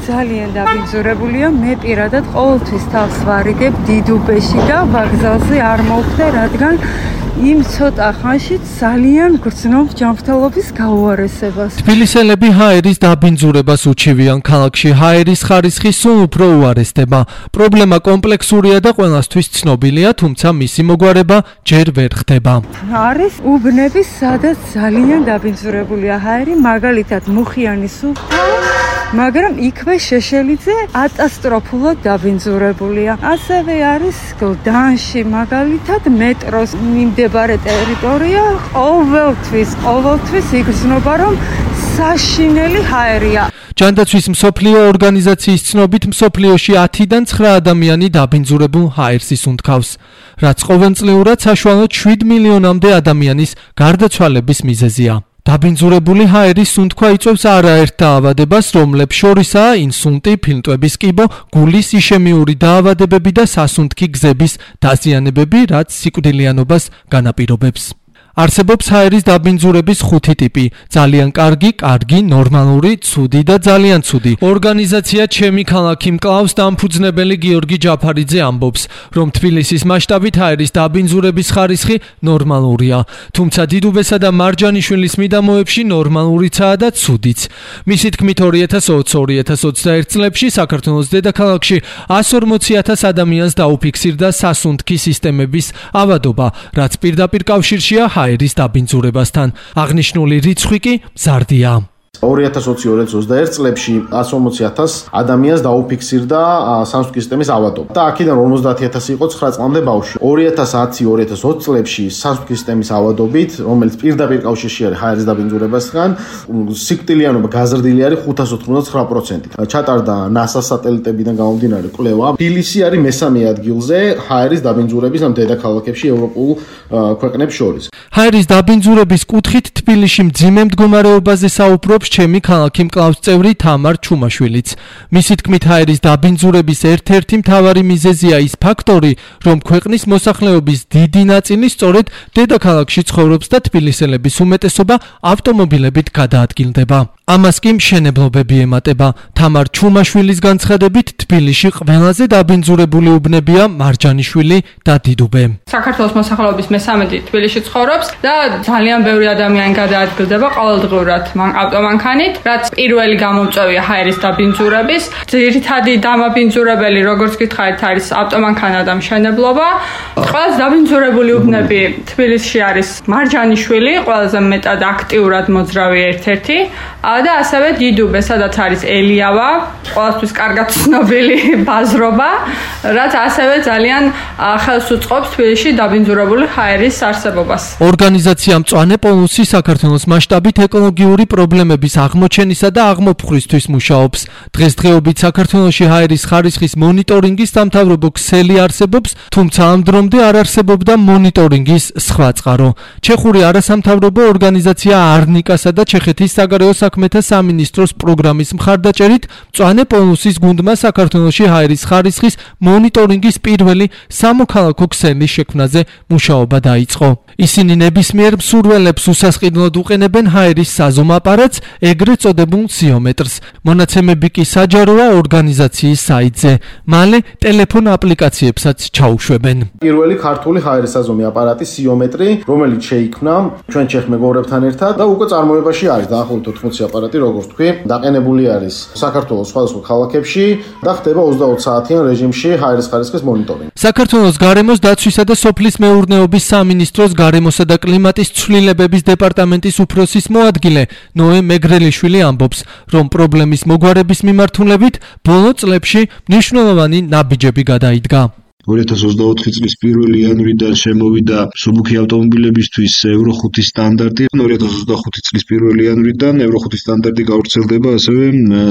ძალიან დაბინძურებულია. მე პირადად ყოველთვის თავს ვარიგებ დიდუბეში და ვაგზალზე არ მოვხდე, რადგან იმ ცოტა ხანში ძალიან გრძნობ ჯანმრთელობის გაუარესებას. თბილისელები ჰაერის დაბინძურებას უჩივიან. ქალაქში ჰაერის ხარისხი სულ უფრო უარესდება. პრობლემა კომპლექსურია და ყველასთვის ცნობილია, თუმცა მისი მოგვარება ჯერ ვერ ხდება. არის უბნები, სადაც ძალიან დაბინძურებულია ჰაერი, მაგალითად მუხიანის უბნა, მაგრამ იქვე შეშელიძე კატასტროფულად დაბინძურებულია. ასევე არის გლდანში, მაგალითად მეტროს მიმდებარე ტერიტორია ყოველთვის იგრძნობა, რომ საშინელი ჰაერია. ჯანდაცვის მსოფლიო ორგანიზაციის ცნობით მსოფლიოში 10-დან 9 ადამიანი დაბინძურებულ ჰაერს ისუნთქავს, რაც ყოველწლიურად საშუალოდ 7 მილიონამდე ადამიანის გარდაცვალების მიზეზია. დაბინძურებული ჰაერის სუნთქვა იწვევს არაერთ დაავადებას, რომლებს შორისაა ინსულტი, ფილტვების კიბო, გულის იშემიური დაავადებები და სასუნთქი გზების დაზიანებები, რაც სიკვდილიანობას განაპირობებს. არსებობს ჰაერის დაბინძურების 5 ტიპი: ძალიან კარგი, ნორმალური, ცუდი და ძალიან ცუდი. ორგანიზაცია ჩემი ქალაქი მკლავს დამფუძნებელი გიორგი ჯაფარიძე ამბობს, რომ თბილისის მასშტაბით ჰაერის დაბინძურების ხარისხი ნორმალურია, თუმცა დიდუბესა და მარჯანიშვილის მიდამოებში ნორმალურიცაა და ცუდიც. მისი თქმით 2020-2021 წლებში საქართველოს დედაქალაქში 140,000 ადამიანს დაუფიქსირდა სასუნთქი სისტემების ავადობა, რაც პირდაპირ კავშირშია ჰაერის დაბინძურებასთან. აღნიშნული რიცხვი კი მზარდია. 2020-2021 წლებში 140,000 ადამიანს დაუფიქსირდა სასუნთქი სისტემის ავადობა და აქედან 50,000 იყო 9 წლამდე ბავშვი. 2010-2020 წლებში სასუნთქი სისტემის ავადობით, რომელიც პირდაპირ კავშირში არის ჰაერის დაბინძურებასთან, სიკვდილიანობა გაზრდილი არის 589%. ჩატარდა NASA სატელიტებიდან გამომდინარე კვლევა. თბილისი არის მესამე ადგილზე ჰაერის დაბინძურების ამ დედაქალაქებში ევროპულ ქვეყნებს შორის. ჰაერის დაბინძურების კუთხით თბილისში მძიმე მდგომარეობაზე საუბრობს ჩემი ქალაქი მკლავს წევრი თამარ ჩუმაშვილიც. მისი თქმით, ჰაერის დაბინძურების ერთ-ერთი მთავარი მიზეზია ის ფაქტორი, რომ ქვეყნის მოსახლეობის დიდი ნაწილი სწორედ დედაქალაქში ცხოვრობს და თბილისელების უმეტესობა ავტომობილებით გადაადგილდება. ამას კი მშენებლობები ემატება. თამარ ჩუმაშვილის განცხადებით, თბილისში ყველაზე დაბინძურებული უბნებია მარჯანიშვილი და დიდუბე. საქართველოს მოსახლეობის მესამედი თბილისში ცხოვრობს და ძალიან ბევრი ადამიანი გადაადგილდება ყოველდღურად ავტომანქანით, რაც პირველი გამომწვევია ჰაერის დაბინძურების. ძირითადი დამაბინძურებელი, როგორც გითხარით, არის ავტომანქანა და მშენებლობა. ყველაზე დაბინძურებული უბნები თბილისში არის მარჯანიშვილი, ყველაზე მეტად აქტიურად მოძრავი ერთ-ერთი და ასევე დიდუბე, სადაც არის ელიავა, ყოველთვის კარგად ცნობილი ბაზრობა, რაც ასევე ძალიან ხელს უწყობს თბილისში დაბინძურებული ჰაერის არსებობას. ორგანიზაცია მწვანე პოლუსი საქართველოს მასშტაბით ეკოლოგიური პრობლემების აღმოჩენისა და აღმოფხვრისთვის მუშაობს. დღესდღეობით საქართველოში ჰაერის ხარისხის მონიტორინგის სამთავრობო ქსელი არსებობს, თუმცა ამ დრომდე არ არსებობდა მონიტორინგის სხვა წყარო. ჩეხური არასამთავრობო ორგანიზაცია არნიკასა და ჩეხეთის საგარეო საქმეთა სამინისტროს პროგრამის მხარდაჭერით მწვანე პოლუსის გუნდმა საქართველოში ჰაერის ხარისხის მონიტორინგის პირველი სამოქალაქო ქსელის შექმნაზე მუშაობა დაიწყო. ისინი ნებისმიერ მსურველებს უსასყიდლოდ უყენებენ ჰაერის საზომ აპარატს, ეგრეთ წოდებულ სიომეტრს. მონაცემები კი საჯაროა ორგანიზაციის საიტზე. მალე ტელეფონ აპლიკაციებსაც ჩაუშვებენ. პირველი ქართული ჰაერის საზომი აპარატი სიომეტრი, რომელიც შეიქმნა ჩვენ ჩეხ მეგობრებთან ერთად და უკვე წარმოებაში არის დაახლოებით 80 აპარატი, როგორც თქვი, დაყენებული არის საქართველოს სხვადასხვა ქალაქებში და ხდება 24 საათიან რეჟიმში ჰაერის ხარისხის მონიტორინგი. საქართველოს გარემოს დაცვისა და სოფლის მეურნეობის სამინისტროს გარემოსა და კლიმატის ცვლილებების დეპარტამენტის უფროსის მოადგილე ნოე მეგრელიშვილი ამბობს, რომ პრობლემის მოგვარების მიმართულებით ბოლო წლებში მნიშვნელოვანი ნაბიჯები გადაიდგა. 2024 წლის 1 იანვრიდან შემოვიდა მსუბუქი ავტომობილებისთვის Euro 5 სტანდარტი. 2025 წლის 1 იანვრიდან Euro 5 სტანდარტი გავრცელდება ასევე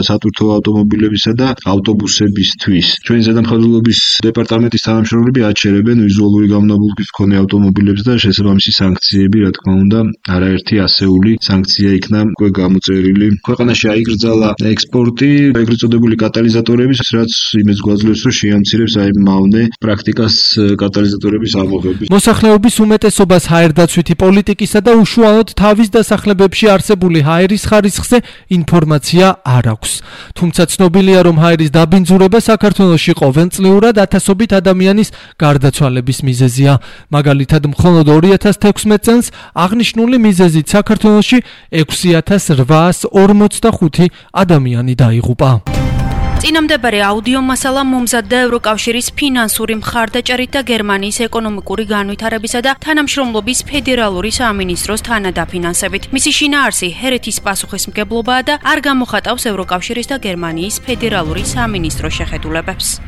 სატვირთო ავტომობილებისა და ავტობუსებისთვის. ჩვენი ზედამხედველობის დეპარტამენტის თანამშრომლები აჩერებენ ვიზუალური გამონაბოლქვის მქონე ავტომობილებს და შესაბამისი სანქციები, რა თქმა უნდა, არაერთი ასეული სანქცია იქნა უკვე გამოწერილი. ქვეყანაში აიკრძალა ექსპორტი ეგრეთ წოდებული კატალიზატორების, რაც იმას გვაძლევს, რომ შეამცირებს აი მავნე პრაქტიკას კატალიზატორების ამოღების. მოსახლეობის უმეტესობას ჰაერდაცვითი პოლიტიკისა და უშუალოდ თავის დასახლებებში არსებული ჰაერის ხარისხზე ინფორმაცია არ აქვს. თუმცა ცნობილია, რომ ჰაერის დაბინძურება საქართველოში ყოველწლიურად ათასობით ადამიანის გარდაცვალების მიზეზია. მაგალითად, მხოლოდ 2016 წელს აღნიშნული მიზეზით საქართველოში 6845 ადამიანი დაიღუპა. წინამდებარე აუდიო მასალა მომზადდა ევროკავშირის ფინანსური მხარდაჭერით და გერმანიის ეკონომიკური განვითარებისა და თანამშრომლობის ფედერალური სამინისტროს თანადაფინანსებით. მისი შინაარსი ჰერეთის პასუხისმგებლობაა და არ გამოხატავს ევროკავშირის და გერმანიის ფედერალური სამინისტროს შეხედულებებს.